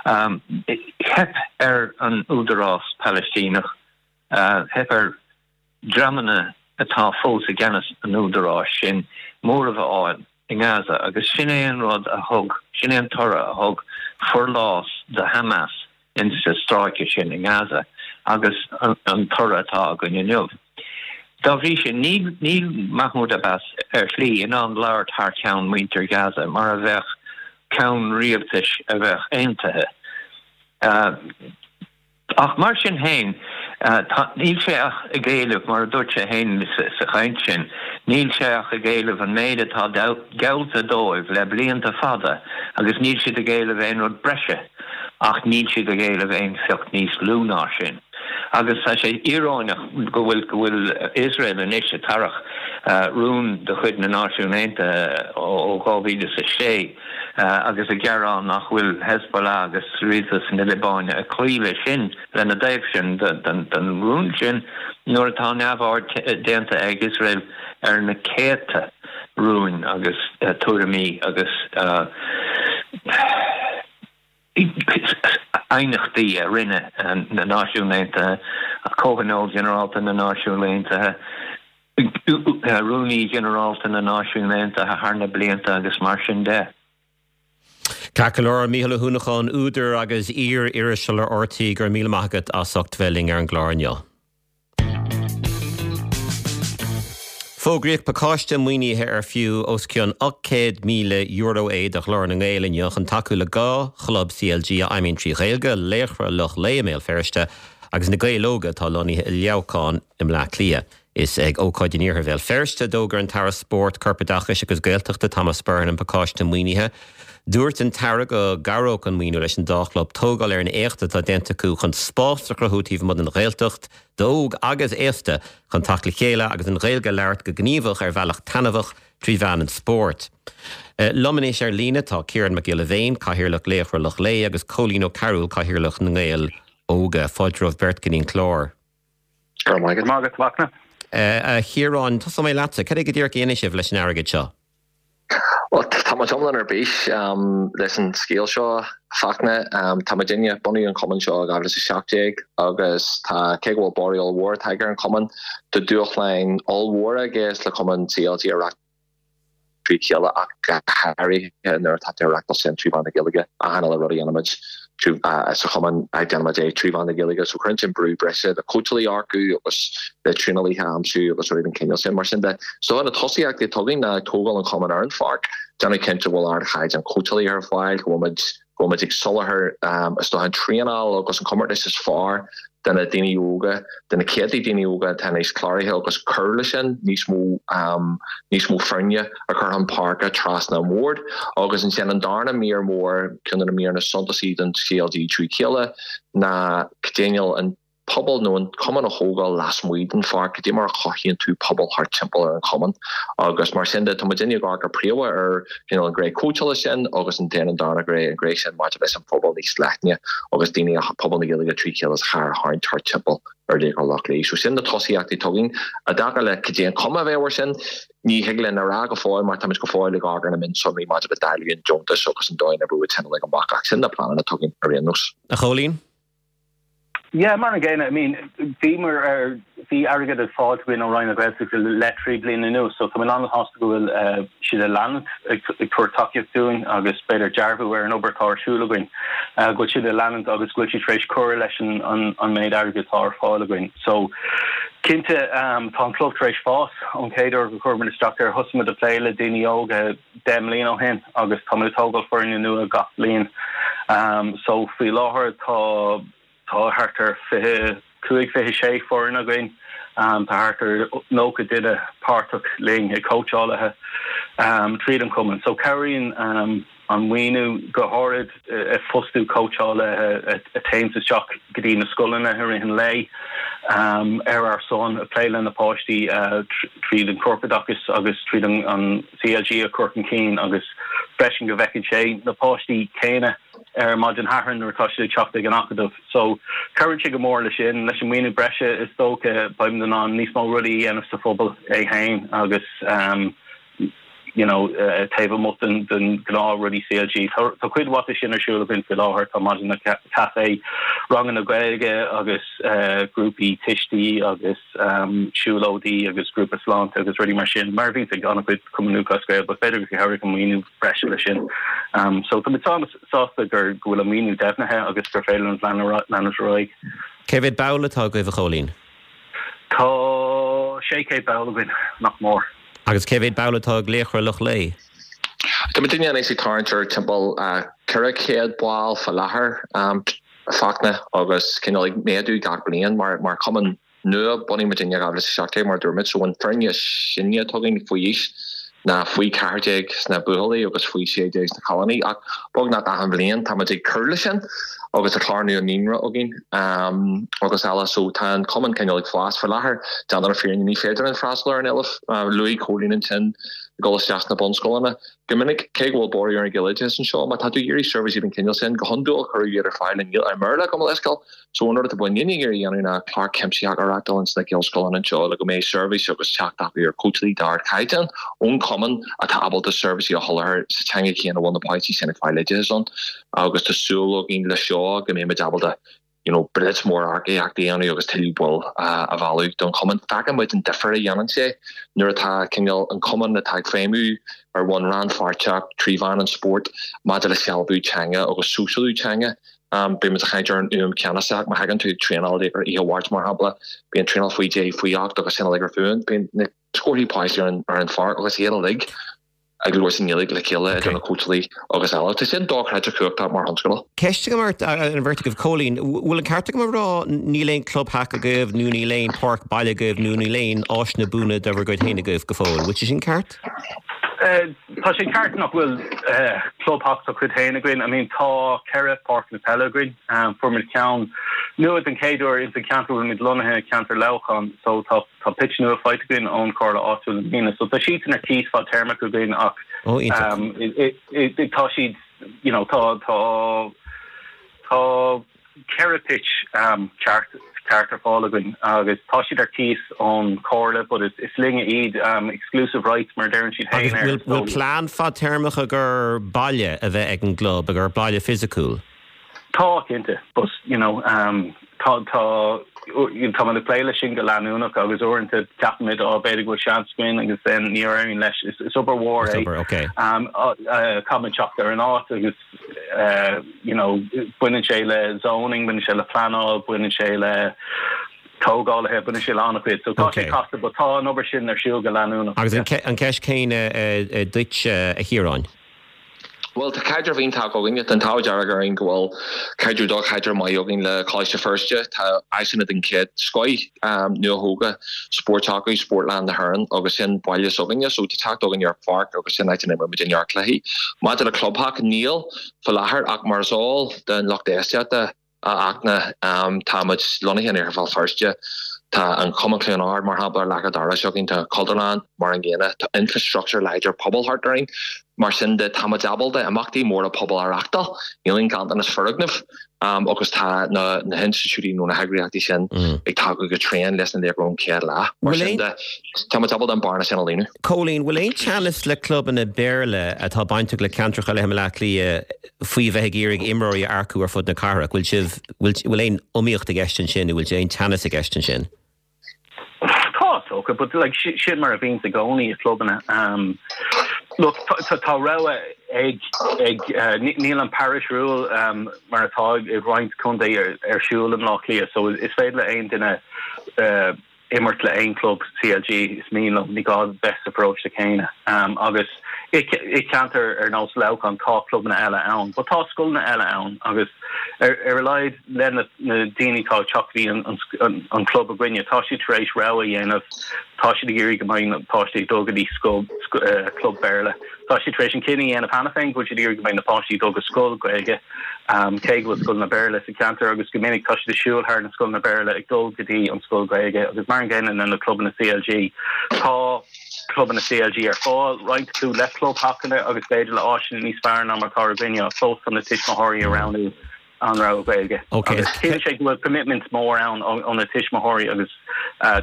Theip ar an Údarás Palaistíneach, theip ar dhreamanna atá fós i gceannas an údaráis sin móramh a fháil i nGaza agus sin é an rud a thug, sin é an toradh a thug forlás do Hamas insa stráice sin i nGaza agus an toradh atá againn inniu. Dá bhrí sin, níl Mahmoud Abbas ar shlí in ann labhairt thar ceann muintir Ghaza mar a bheadh ceann rialtais a bheadh aontaithe. Ach mar sin féin, níl sé ach ag éileamh, mar a dúirt sé féin sa chaint sin, níl sé ach ag éileamh an méid atá geallta dóibh le blianta fada agus níl siad ag éileamh aon rud breise. Ach níl siad ag éileamh aon phioc níos lú ná sin. Agus tá sé íoróineach go bhfuil go bhfuil Iosrael anois ag tarrach rún de chuid na Náisiún Aontaithe ó 2006 agus ag gearán nach bhfuil Hezbollah agus rialtas na Liobáine ag cloí leis sin, lena dtaobh sin den rún sin, nuair atá neamhaird déanta ag Iosrael ar na céadta rúin agus tuairimí agus aighneachtaí a rinne na Náisiúin Aontaithe, Comhthionól Ginearálta na Náisiún Aontaithe, Rúnaí Ginearálta na Náisiún Aontaithe thar na blianta agus mar sin de. Ceart go leor, Mícheál Ó hUanacháin, údar agus iar-iriseoir le RTÉ, go raibh míle maith agat as ucht bheith linn ar an gclár inniu. Fógraíodh pacáiste maoinithe ar fiú os cionn €800,000 é do Ghlór na nGael inniu chun tacú le 2 chlub CLG a fheidhmíonn trí Ghaeilge, Laochra Loch Lao i mBéal Feirste agus Na Gaeil Óga atá lonnaithe i Leamhcán i mBleá Cliath. Is ag ócáid in iarthar Bhéal Feirste a d'fhógair an tAire Spóirt, Corpoideachais agus Gaeltachta Thomas Byrne an pacáiste maoinithe. Dúirt an tAire go gcabhródh an maoiniú leis an dá chlub tógáil ar an éacht atá déanta acu chun spás a chruthú taobh amuigh den Ghaeltacht d'óg agus aosta chun teacht le chéile agus an Ghaeilge a labhairt go gníomhach ar bhealach taitneamhach trí mheán an spóirt. Liom anois ar líne tá Ciarán Mac Giolla Bhéin, Cathaoirleach Laochra Loch Lao agus Cóilín Ó Cearúil, Cathaoirleach na nGael Óga. Fáilte romhaibh beirt go dtí an clár. Go raibh maith agat, Fachtna. A Chiaráin, tosóidh mé leatsa. Cad é go díreach a dhéanfaidh sibh leis an airgead seo? Bhuel, tá muid iomlán ar bís leis an scéal seo, a Fachtna. Tá muidinne, bunaíodh an cumann seo i 2017 agus tá, cé go bhfuil borradh ollmhór tagtha ar an chumann, tá dúshláin ollmhóra i gceist le cumann CLG a reáchtáil trí chéile ach go háirithe nuair atá tú ag reáchtáil sin trí mheán na Gaeilge, achan uile rud a dhéanaimid. Sa chumann déanaimid é trí mheán na Gaeilge so cuireann sin brú breise le cóitseálaithe a earcú agus le traenálaithe a aimsiú agus rudaí den chineál sin. Mar sin de, so na tosaíochtaí atá againn ná tógáil an chumainn ar an pháirc, déanamh cinnte go bhfuil ardchaighdeán cóitseálaithe ar fáil, go bhfuil muid go bhfuil muid ag soláthar is dócha an traenáil agus an comórtas is fearr do na daoine óga, do na céadta daoine óga atá anois cláraithe agus cur leis sin, níos mó níos mó foirne a chur chun páirce trasna an bhoird. Agus ansin an darna mír mór, ceann de na míreanna suntasaí don CLG trí chéile ná cineál an pobal nó an cumann a thógáil lasmuigh den pháirc, cad é mar a chothaíonn tú pobal thart timpeall ar an chumann. Agus mar sin de, tá muidinne ag amharc go príomha ar cineál an ghné cóitseála sin agus an an darna ghné, an ghné sin maidir leis an phobal níos leithne agus daoine, pobal na Gaeilge trí chéile sa chathair a tharraingt thart timpeall ar Laochra Loch Lao. So sin na tosaíochtaí atá againn. I dtaca le cad é an chuma a bheidh air sin, ní thig linn a rá go fóill mar táimid go fóill ag amharc ar na mionsonraí maidir le dáileadh an deontais agus an dóigh a n-oibreoidh sin uilig amach ach sin na pleananna atá againn ar aon nós. A Chóilín? Yeah, mar an gcéanna, I mean, bhíomar ar, bhí airgead ag fáilt againn ó Roinn na Gaeltachta le 3 bliana anuas, so tá mé an-sásta go bhfuil siad ag leanúint ag tabhairt tacaíocht dúinn agus b'fhéidir dearbhú ar an obair atá ar siúl againn, go bhfuil siad ag leanúint agus go bhfuil siad tar éis cur leis an méid airgid atá ar fáil againn. So, cinnte, tá an club tar éis fás ón chéad uair go chuir muid isteach air. Thosaigh muid ag plé le daoine óga 10 mbliana ó shin agus táimid ag tógáil foirne nua gach bliain. So faoi láthair tá tá thart ar 25, 26 foireann againn. Tá thart ar 90 duine páirteach linn ag cóitseálaithe tríd an chumann. So cabhraíonn an maoiniú go háirid ag fostú cóitseálaithe a théanns isteach go dtí na scoileanna i rith an lae ar ár son, ag plé le na páistí tríd an chorpoideachas agus tríd an CLG a chur chun cinn agus freisin go bhfeiceann sé na páistí céanna ar maidin Shathairn nuair atá siad ag teacht ag an acadamh. So cabhraíonn sé go mór leis sin. Leis an maoiniú breise is dócha beimid in ann níos mó rudaí a dhéanamh sa phobal é féin agus um, you know, taobh amuigh den, den gnáth rudaí CLG. Tá, tá cuid mhaith de sin ar siúl againn faoi láthair, tá maidineacha caife, ranganna Gaeilge agus uh, grúpaí tuistí agus siúlóidí agus grúpa sláinte agus rudaí mar sin, mar a bhíonns ag an-chuid Cumann Lúthchleas Gael, but b'fhéidir gur chabhraigh an maoiniú breise leis sin. So tá muid sásta gur go bhfuil an maoiniú deimhnithe agus gur féidir linn leanúint ar aghaidh. Cé mhéad ball atá agaibh, a Chóilín? Tá 600 ball againn, nach mór. Agus cé mhéad ball atá ag Laochra Loch Lao? Tá muidinne anois ag tarraingt ar timpeall 400 ball fá láthair, Fachtna, agus cineál ag méadú gach bliain mar chumann nua. Bunaíodh muidinne in 2017 mar a dúirt muid, so an foirne is sine atá againn faoi aois ná faoi 14 sna buachaillí agus faoi 16 sna cailíní ach beagnach achan bhliain tá muid ag cur leis sin agus tá clár nua naíonra againn agus eile so tá an cumann cineál ag fás faoi láthair. Déanta na fírinne ní féidir linn freastal ar an éileamh. Luaigh Cóilín ansin ag dul isteach sna bunscoileanna. Go minic, cé go bhfuil borradh ar an Ghaeloideachas anseo, má tá tú ag iarraidh seirbhísí den chineál sin, go hiondúil cuireadh iad ar fáil i mBéarla, gabh mo leithscéal. So an rud atá muidinne ag iarraidh a dhéanamh ná clár cuimsitheach a reáchtáil ins na Gaelscoileanna anseo le go mbeidh seirbhís agus teacht acu ar cóitseálaí d'ardchaighdeán ón chumann atá ábalta seirbhísí a sholáthar sa teanga chéanna a bhfuil na páistí sin ag fáil oideachas ann. Agus tá súil againn le seo go mbeidh muid ábalta you know, blitz mór earcaíochta a dhéanamh agus tuilleadh baill a mhealladh don chumann. Feiceann muid an difear a dhéanann sé nuair atá cineál an cumann atá ag feidhmiú ar bhonn rannpháirteach trí mheán an spóirt maidir le sealbhú teanga agus sóisialú teanga. Bíonn muid ag caint ar an fhuaim cheannasach, má thagann tú ag traenáil ar oíche Mháirt mar shampla, bíonn traenáil faoi deich, faoi ocht agus sin uilig ar fuaim, bíonn na scórthaí páistí ar an pháirc agus iad uilig ag labhairt i nGaeilge le chéile idir na cóitseálaí agus eile. Tá sin dochreidte cumhachtach mar thionscadal. Ceist agam ort, an bheirt agaibh. Cóilín, bhfuil an ceart agam a rá níl aon clubtheach agaibh nó níl aon páirc baile agaibh nó níl aon áiseanna buana de bhur gcuid féin agaibh go fóill? Bhfuil sé sin ceart? Tá sé ceart nach bhfuil clubtheach dá chuid féin againn. I mean tá ceithre páirceanna peile againn. Fuair muid ceann nua den chéad uair ins an ceantar a bhfuil muid lonnaithe, ceantar Leamhcán. So tá Tá pitch nua faighte againn ón Chomhairle áitiúil i mbliana so tá siadsan ar cíos fadtéarmach againn ach Ó, iontach. tá siad you know tá tá tá ceithre pitch ceart ceart ar fáil againn agus tá siad ar cíos ón Chomhairle but is is linne iad exclusive rights mar a deireann siad Agus féin air bhfuil bhfuil so plean fadtéarmach agat baile a bheith ag an gclub, agat baile fisiciúil? Tá, cinnte, but you know tá tá tá muid ag plé leis sin go leanúnach agus uaireanta ceapaimid á b'fhéidir go bhfuil seans againn agus then ní éiríonn leis. Is is obair mhór é. Is obair, ok. Caithfimid teacht ar an áit agus. You know, baineann sé le zoning, baineann sé le pleanáil, baineann sé le tógálaithe, baineann sé le an-chuid. So tá sé casta, but tá an obair sin ar siúl go leanúnach. Agus an ceist céanna duit, a Chiaráin. Bhuel, tá caidreamh iontach againne. Tá an t-ádh dearg orainn go bhfuil caidreamh dlúthchaidreamh maith againn le Coláiste Feirste. Tá áiseanna den chéad scoith nuathógtha spóirt acu, Spórtlann na hÉireann, agus sin baile s'againne, so tá teacht againn ar pháirc agus sin áit a n-imríonn muid neart cluichí. Maidir le clubhac, níl faoi láthair ach mar is eol don lucht éisteachta, A Fhachtna, tá muid lonnaithe in Iarthar Bhéal Feirste. Tá an Cumann Chluain Ard, mar shampla, ar leac an dorais againn. Tá Cultúrlann mar an gcéanna. Tá infreastruchtúr láidir pobail thart orainn. Mar sin de, tá muid ábalta imeachtaí móra pobail a reáchtáil. Níl aon ghanntanas foirgneamh agus tá na hinstitiúidí nó na heagraíochtaí sin ag tacú go tréan leis na Laochra ón chéad lá. Mar sin de, tá muid ábalta an bearna sin a líonadh. Cóilín, bhfuil aon teannas le clubanna Béarla atá bainteach le ceantracha eile i mBaile Átha Cliath faoi bheith ag iarraidh imreoirí a earcú ar fud na cathrach? Bhfuil sibh, bhfuil, bhfuil aon iomaíocht i gceist ansin nó bhfuil aon teannas i gceist ansin? Tá, is dócha, but like sin mar a bhíonns i gcónaí i clubanna. Um, look, tá, tá rogha ag, ag, uh, níl an parish rule um, mar atá i roinnt contae ar, ar siúl i mBleá Cliath, so is féidir le aon duine uh, imirt le aon club CLG is mian leo, ní gá bheith sa pharóiste céanna. Agus i ceantar ar nós Leamhcán tá clubanna eile ann, but tá scoileanna eile ann agus ar a laghad le na daoine atá ag teacht go dtí an club againne, tá siad tar éis rogha a dhéanamh, tá siad ag iarraidh go mbeidh na páistí ag dul go dtí scoil, club Béarla. Tá siad tar éis an cinneadh a dhéanamh cheana féin go bhfuil siad ag iarraidh go mbeidh na páistí ag dul go scoil Gaeilge, cé go bhfuil scoileanna Béarla sa cheantar agus go minic tá siad ag siúl thar na scoileanna Béarla ag dul go dtí an scoil Ghaeilge agus mar an gcéanna le na clubanna CLG. Tá clubanna CLG ar fáil, roinnt acu le clubtheachanna agus b'fhéidir le áiseanna níos fearr ná mar atá againne ach fós tá na tuismitheoirí ag roghnú an rogha Gaeilge. Agus sílim sé go bhfuil commitment mór ann ó na tuismitheoirí agus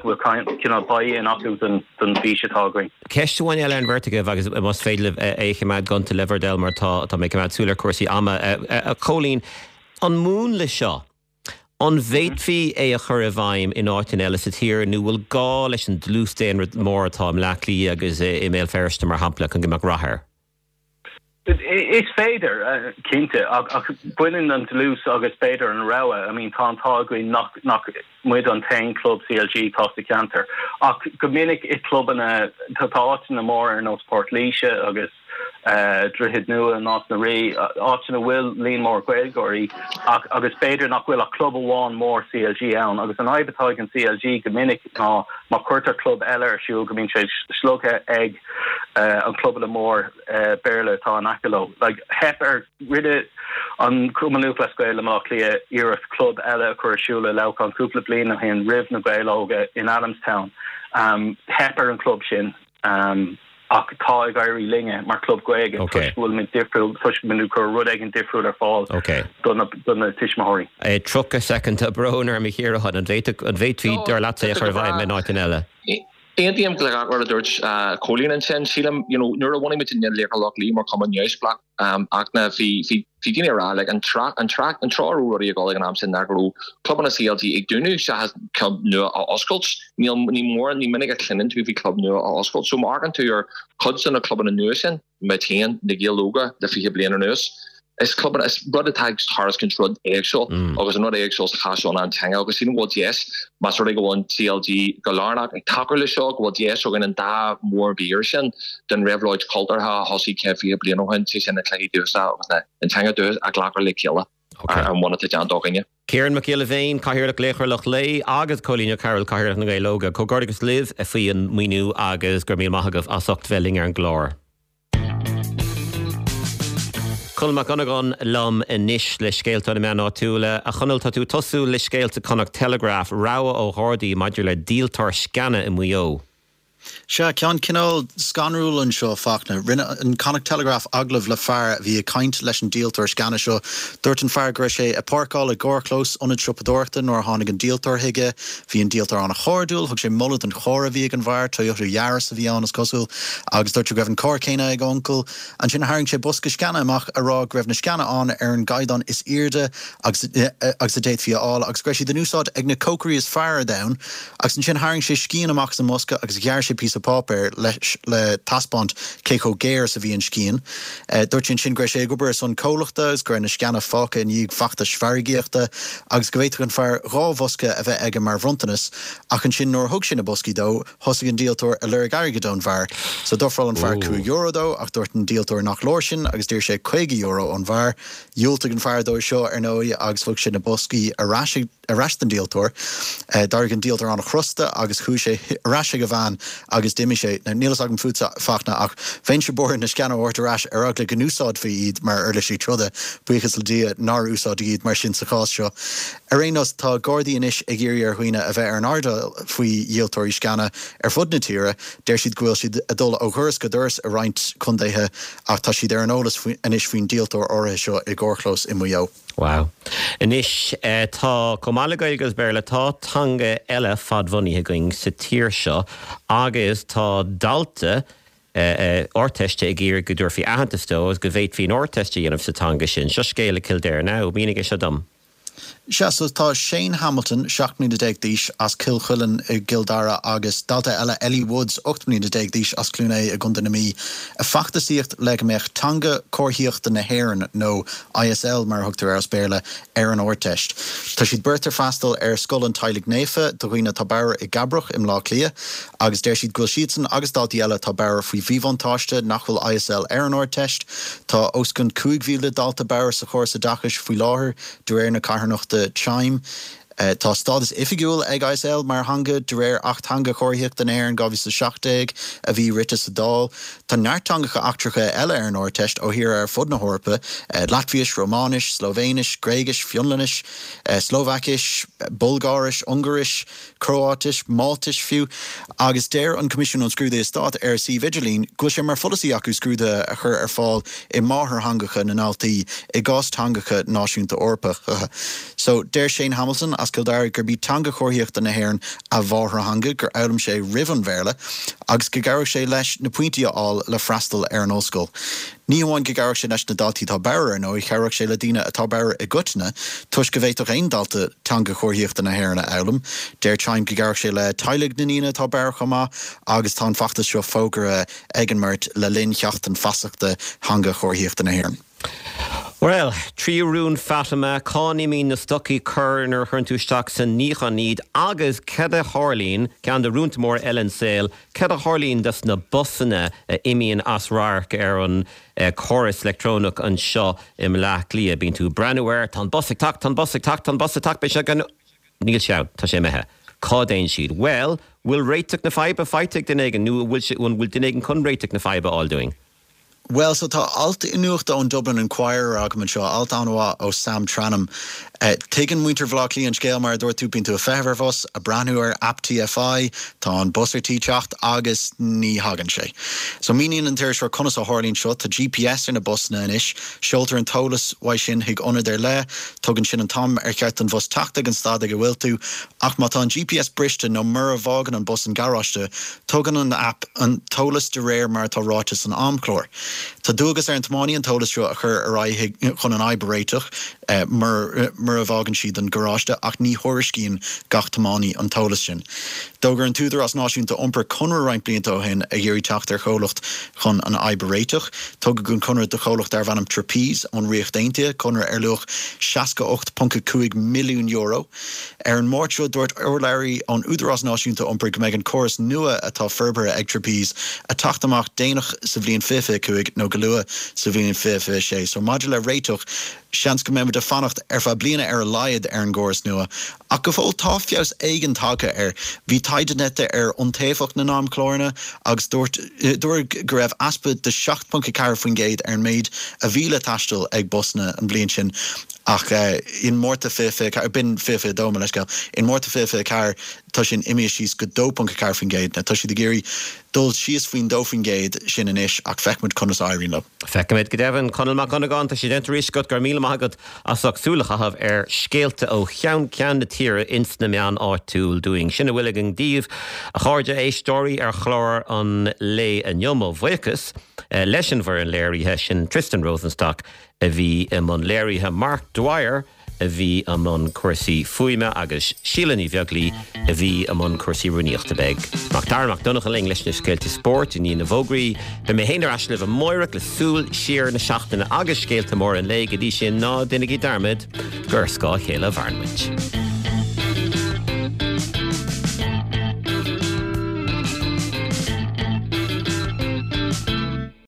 go bhfuil cineál buy-in acu don bhfís atá againn. Ceist amháin eile ar an bheirt agaibh agus más féidir libh é a choimeád gonta le bhur dtoil mar tá tá mé ag coimeád súil ar chúrsaí ama. A Chóilín, an múnla seo, an bhféadfaí é a chur i bhfeidhm in áiteanna eile sa tír nó bhfuil gá leis an dlús daonra mór atá i mBleá Cliath agus i mBéal Feirste mar shampla chun go mbeadh rath air? Is féidir, cinnte, ach baineann an dlús agus b'fhéidir an rogha, I mean tá an t-ádh againn nach nach muid an t-aon club CLG atá sa cheantar, ach go minic i clubanna, tá áiteanna móra ar nós Port Laoise agus Droichead Nua, Nás na Rí, áiteanna a bhfuil líon mór Gaeilgeoirí ach agus b'fhéidir nach bhfuil ach club amháin mór CLG ann agus an fhadhb atá ag an CLG go minic ná má chuirtear club eile ar siúl go mbíonn sé slogtha ag an clubanna mór Béarla atá in aice leo. Like, theip ar, rinne an Cumann Lúthchleas Gael i mBleá Cliath iarracht club eile a chur ar siúl i Leamhcán cúpla bliain ó shin roimh na Gaeil Óga in Adamstown. Theip ar an club sin ach tá ag éirí linne mar club Gaeilge toisc go bhfuilimid difriúil, toisc go bhfuilimid ag cur rud éigin difriúil ar fáil do na tuismitheoirí. 30 soicind, tá brón orm a Chiaráin, an bhféadfaí dar leatsa é a chur i bhfeidhm in áiteanna eile? Aontaím le gach rud a dúirt Cóilín ansin. Sílim, you know, nuair a bhunaigh muid Laochra Loch Lao mar chumann neamhspleách, ach na, bhí, bhí, bhí daoine ag rá, like, an treo, an treo, an treo a raibh rudaí ag dul ag an am sin ná go raibh clubanna CLG ag dúnadh seachas club nua a oscailt. Níl, ní mór, ní minic a chluineann tú faoi chlub nua a oscailt. So má amharcann tú ar chuid de na clubanna nua sin, muid féin, Na Gaeil Óga le 20 bliain anuas. Is clubanna, is rud atá ag tairiscint rud éagsúil agus an rud éagsúil sa chás seo ná an teanga agus sílim go bhfuil deis, más rud é go bhfuil an CLG go lárnach ag tacú leis seo, go bhfuil deis againn an dá mhórmhír sin den réabhlóid chultúrtha a thosaigh 120 bliain ó shin, sé sin na cluichí dúchasacha agus an teanga dúchais a ghlacadh le chéile ar an bhonn atá déanta againne. Ciarán Mac Giolla Bhéin, Cathaoirleach Laochra Loch Lao agus Cóilín Ó Cearúil, Cathaoirleach na nGael Óga. Comhghairdeachas libh faoi an maoiniú agus go raibh míle maith agaibh as ucht bheith linn ar an gclár. Conall Mac Dhonnagáin liom anois le scéalta ó na meáin áitiúla. A Chonaill, tá tú ag tosú le scéal sa Connacht Telegraph, rabhadh ó Ghardaí maidir le díoltóir sceana i Maigh Eo. Sea, ceann cineál scanrúil anseo, Fachtna. Rinne an Connacht Telegraph agallamh le fear a bhí ag caint leis an díoltóir sceana seo. Dúirt an fear go raibh sé ag páirceáil i gcarrchlós ionad siopadóireachta nuair a tháinig an díoltóir chuige. Bhí an díoltóir an-chairdiúil, thug sé moladh don charr a bhí ag an bhfear, Toyota Yaris a bhí ann is cosúil, agus dúirt sé go raibh an carr céanna ag a uncail. Ansin tharraing sé bosca sceana amach a rá go raibh na sceana ann ar an gcaighdeán is airde agus agus a d'fhéadfaí a fháil agus go raibh siad in úsáid ag na cócairí is fearr ar domhan. Agus ansin tharraing sé scian amach as an mbosca agus ghearr sé. sé píosa páipéir leis le taispeáint cé chomh géar is a bhí an scian. Dúirt sé ansin go raibh sé ag obair ar son comhlachta agus go raibh na sceana fágtha i ndiaidh feachtais mhargaíochta agus go bhféadfadh an fear 2 bhosca a bheith aige mar bhronntanas ach ansin nuair a thug sé na boscaí dó thosaigh an díoltóir ag lorg airgid ón bhfear. So d'ofráil an fear €5 dó ach dúirt an díoltóir nach leor sin agus d'iarr sé €50 ón bhfear. Dhiúltaigh an fear dó seo, ar ndóigh, agus thug sé na boscaí ar ais ar ais don díoltóir. D'éirigh an díoltóir an-chrosta agus chuaigh sé ar ais ag a veain agus d'imigh sé. Now, níl fhios agam fútsa, Fachtna, ach bheinnse buartha na sceana a thabhairt ar ais ar eagla go n-úsáidfí iad mar uirlisí troda. Buíochas le Dia nár úsáideadh iad mar sin sa chás seo. Ar aon nós, tá Gardaí anois ag iarraidh ar dhaoine a bheith ar an airdeall faoi dhíoltóirí sceana ar fud na tíre. Deir siad go bhfuil siad ag dul ó dhoras go doras i roinnt contaetha ach tá siad ar an eolas anois faoin díoltóir áirithe seo i gcarrchlós i Maigh Eo. Wow. Anois, tá, chomh maith le Gaeilge agus Béarla, tá teanga eile fadbhunaithe againn sa tír seo agus tá dalta Ardteiste ag iarraidh go dtabharfaí aitheantas dó agus go bhféadfaí an Ardteist a dhéanamh sa teanga sin. Seo scéal i Kildare now. Mínigh é seo dom. Sea, so tá Shane Hamilton, 17 mbliana d'aois, as Cill Chuilinn i gCill Dara agus dalta eile, Ellie Woods, 18 mbliana d'aois, as Cluain Aodha i gContae na Mí, ag feachtasaíocht le go mbeadh Teanga Chomharthaíochta na hÉireann, nó ISL mar a thugtar air as Béarla, ar an Ardteist. Tá siad beirt ag freastal ar Scoil an Teaghlaigh Naofa do dhaoine atá bodhar i gCabrach i mBleá Cliath agus deir siad go bhfuil siadsan agus daltaí eile atá bodhar faoi mhíbhuntáiste nach bhfuil ISL ar an Ardteist. Tá os cionn 5,000 dalta bodhar sa chóras oideachais faoi láthair, de réir na carthanachta Chime. Tá stádas oifigiúil ag ISL mar theanga de réir Acht Teanga Chomharthaíochta na hÉireann 2017 a bhí rite sa Dáil. Tá neart teangacha eachtracha eile ar an Ardteist ó thíortha ar fud na hEorpa, Laitviais, Rómáinis, Slóivéinis, Gréigis, Fionlainnis, Slóvaicis, Bulgáiris, Ungáiris, Cróáitis, Máltais fiú, agus deir an Coimisiún um Scrúduithe Stáit ar a suíomh idirlín go bhfuil sé mar pholasaí acu scrúduithe a chur ar fáil i máthairtheangacha na ndaltaí i gcás teangacha náisiúnta Eorpacha. So, deir Shane Hamilton as Cill Dara gurb í teanga chomharthaíochta na hÉireann a mháthairtheanga, gur fhoghlaim sé roimh an Bhéarla, agus go gcabhródh sé leis na pointí a fháil le freastal ar an ollscoil. Ní hamháin go gcabhródh sé leis na daltaí atá bodhar, ar ndóigh, chabhródh sé le daoine atá bodhar i gcoitinne, toisc go bhféadfadh aon dalta teanga chomharthaíochta na hÉireann a fhoghlaim. Deir Chime go gcabhródh sé le teaghlaigh na ndaoine atá bodhar chomh maith agus tá an feachtas seo fógartha ag an mbeirt le linn Sheachtain Feasachta Theanga Chomharthaíochta na hÉireann. Bhuel, tríú rún Fatima, cá n-imíonn na stocaí corr nuair a chuireann tú isteach sa níochán iad agus cad a tharlaíonn, ceann de rúnta móra eile an saol, Cad a tharlaíonn dos na busanna a imíonn as radharc ar an córas leictreonach anseo i mBleá Cliath? Bíonn tú ag breathnú air, tá an bus ag teacht, tá an bus ag teacht, tá an bus ag teacht, beidh sé gan. Níl sé ann, tá sé imithe. Cá dtéann siad? Bhuel, bhfuil réiteach na faidhbe faighte ag duine éigin nó an bhfuil duine éigin chun réiteach na faidhbe a fháil dúinn? Bhuel, so tá alt nuachta ón Dublin Inquirer agam anseo, alt an-mhaith ó Sam Tranum. Tuigeann muintir Bhaile Átha Cliath an scéal, mar a dúirt tú, bíonn tú ag feitheamh ar bhus, ag breathnú ar aip TFI, tá an bus ar tí teacht agus ní thagann sé. So míníonn an t-iriseoir conas a tharlaíonn seo, tá GPS ar na busanna anois, seoltar an t-eolas uaidh sin chuig ionad ar leith, tugann sin an t-am ar cheart don bhus teacht ag an stad ag a bhfuil tú, ach má tá an GPS briste nó mura bhfágann an bus an garáiste, Tugann an aip an t-eolas de réir mar atá ráite san amchlár. Tá dualgas ar an tiománaí an t-eolas seo a chur ar aghaidh chun an fhadhb a réiteach mura bhfágann siad an garáiste ach ní thuairiscíonn gach tiománaí an t-eolas sin. D'fhógair an tÚdarás Náisiúnta Iompair conradh roinnt blianta ó shin ag iarraidh teacht ar chomhlacht chun an fhadhb a réiteach. Tugadh an conradh do chomhlacht darbh ainm Trapeze ón Ríocht Aontaithe, conradh ar luach €68.5 milliún. Ar an Máirt seo, dúirt urlabhraí ón Údarás Náisiúnta Iompair go mbeidh an córas nua atá forbartha ag Trapeze ag teacht amach déanach sa bhliain 2025 nó go luath sa bhliain 2026. So maidir le réiteach, seans go mbeimid ag fanacht ar feadh bliana ar a laghad ar an gcóras nua. Ach go fóill tá feabhas éigin tagtha air. Bhí taighde déanta ar iontaofacht na n-amchláranna agus dúirt dúradh go raibh easpa de 7.4% ar an méid a bhí le taisteal ag busanna an bhliain sin. Ach in Márta 2024, b'in 2022, mo leithscéal, in Márta 2024 tá sin imithe síos go 2.4%. Now tá siad ag iarraidh dul síos faoin 2% sin anois ach feicfimid conas a éiríonn leo. Feicfimid go deimhin. Conall Mac Dhonnagáin, tá sé déanta arís agat, go raibh míle maith agat as ucht súil a chaitheamh ar scéalta ó cheann ceann na tíre ins na meáin áitiúil dúinn. Sin a bhfuil againn daoibh, a chairde éisteoirí, ar chlár an lae inniu. Mo bhuíochas leis an bhfoireann léirithe, sin Tristan Rosenstock, a bhí i mbun léirithe, Mark Dwyer. a bhí i mbun cúrsaí fuaime agus Síle Ní Bheaglaoi a bhí i mbun cúrsaí rúnaíochta. Beidh Macdara Mac Donncha linn leis na scéalta spóirt i ndiaidh na bhfógraí. Beidh mé féin ar ais libh amáireach le súil siar na seachtaine agus scéalta móra an lae. Go dtí sin, ná déanaigí dearmad gur ar scáth a chéile a mhaireann muid.